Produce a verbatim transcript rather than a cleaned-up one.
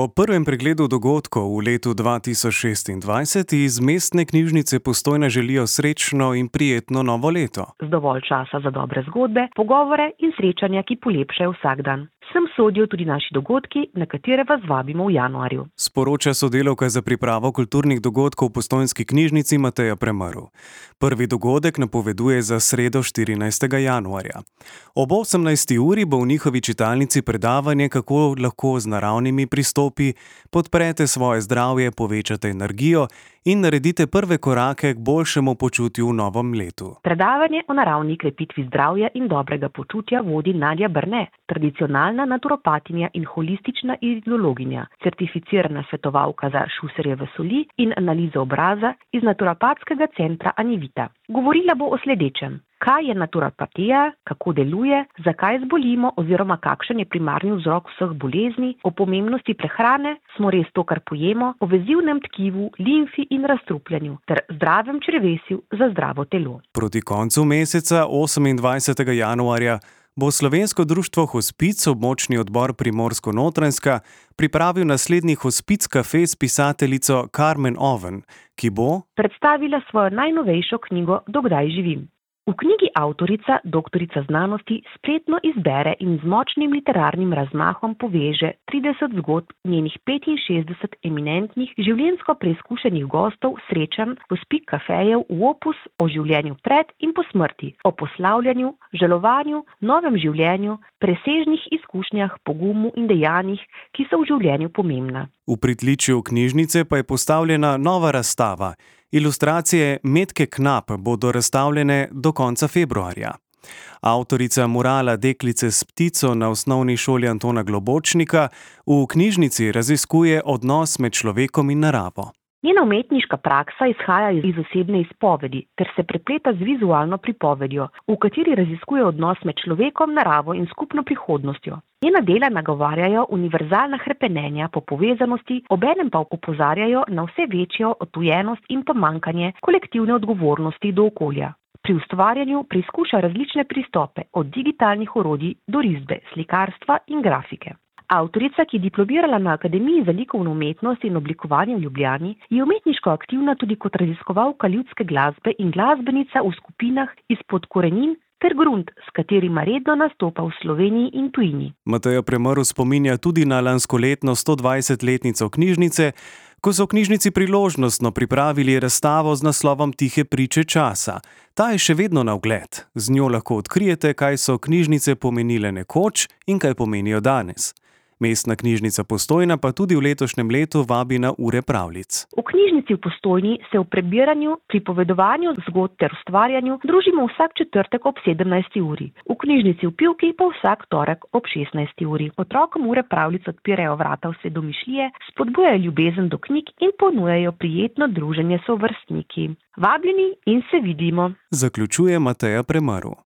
O prvem pregledu dogodkov v letu dva tisoč šestindvajset iz Mestne knjižnice Postojna želijo srečno in prijetno novo leto. Z dovolj časa za dobre zgodbe, pogovore in srečanja, ki polepšajo vsak dan. Sem sodijo tudi naši dogodki, na katere vas vabimo v januarju. Sporoča sodelavka za pripravo kulturnih dogodkov v Postojnski knjižnici Mateja Premrl. Prvi dogodek napoveduje za sredo štirinajstega januarja. Ob osemnajsti uri bo v njihovi čitalnici predavanje, kako lahko z naravnimi pristopi podprete svoje zdravje, povečate energijo in naredite prve korake k boljšemu počutju v novem letu. Predavanje o naravni krepitvi zdravja in dobrega počutja vodi Nadja Brne, tradicionalna naturopatinja in holistična ideologinja, certificirana svetovalka za Šuserjeve soli in analizo obraza iz naturopatskega centra Anivita. Govorila bo o sledečem: kaj je naturopatija, kako deluje, zakaj zbolimo oziroma kakšen je primarni vzrok vseh bolezni, o pomembnosti prehrane, smo res to, kar pojemo, o vezivnem tkivu, limfi in razstrupljanju ter zdravem črevesju za zdravo telo. Proti koncu meseca, osemindvajsetega januarja, bo Slovensko društvo Hospic, območni odbor Primorsko-Notranjska, pripravil naslednji Hospic kafe s pisateljico Karmen Oven, ki bo predstavila svojo najnovejšo knjigo Do kdaj živim. V knjigi avtorica, doktorica znanosti, spretno izbere in z močnim literarnim razmahom poveže trideset zgodb njenih petinšestdeset eminentnih, življenjsko preizkušenih gostov srečanj Hospic kafejev v opus o življenju pred in po smrti, o poslavljanju, žalovanju, novem življenju, presežnih izkušnjah, pogumu in dejanjih, ki so v življenju pomembna. V pritličju knjižnice pa je postavljena nova razstava. Ilustracije Metke Knap bodo razstavljene do konca februarja. Avtorica murala Deklice s ptico na osnovni šoli Antona Globočnika v knjižnici raziskuje odnos med človekom in naravo. Njena umetniška praksa izhaja iz osebne izpovedi ter se prepleta z vizualno pripovedjo, v kateri raziskuje odnos med človekom, naravo in skupno prihodnostjo. Njena dela nagovarjajo univerzalna hrepenenja po povezanosti, obenem pa opozarjajo na vse večjo odtujenost in pomanjkanje kolektivne odgovornosti do okolja. Pri ustvarjanju preizkuša različne pristope, od digitalnih orodij do risbe, slikarstva in grafike. Avtorica, ki je diplomirala na Akademiji za likovno umetnost in oblikovanje v Ljubljani, je umetniško aktivna tudi kot raziskovalka ljudske glasbe in glasbenica v skupinah izpod korenin ter grunt, s katerima redno nastopa v Sloveniji in tujini. Mateja Premrl spominja tudi na lanskoletno stodvajsetletnico knjižnice, ko so v knjižnici priložnostno pripravili razstavo z naslovom Tihe priče časa. Ta je še vedno na ogled. Z njo lahko odkrijete, kaj so knjižnice pomenile nekoč in kaj pomenijo danes. Mestna knjižnica Postojna pa tudi v letošnjem letu vabi na ure pravljic. V knjižnici v Postojni se v prebiranju, pripovedovanju zgodb ter ustvarjanju družimo vsak četrtek ob sedemnajsti uri. V knjižnici v Pivki pa vsak torek ob šestnajsti uri. Otrokom ure pravljic odpirajo vrata vse domišljije, spodbujajo ljubezen do knjig in ponujajo prijetno druženje s sovrstniki. Vabljeni in se vidimo. Zaključuje Mateja Premrl.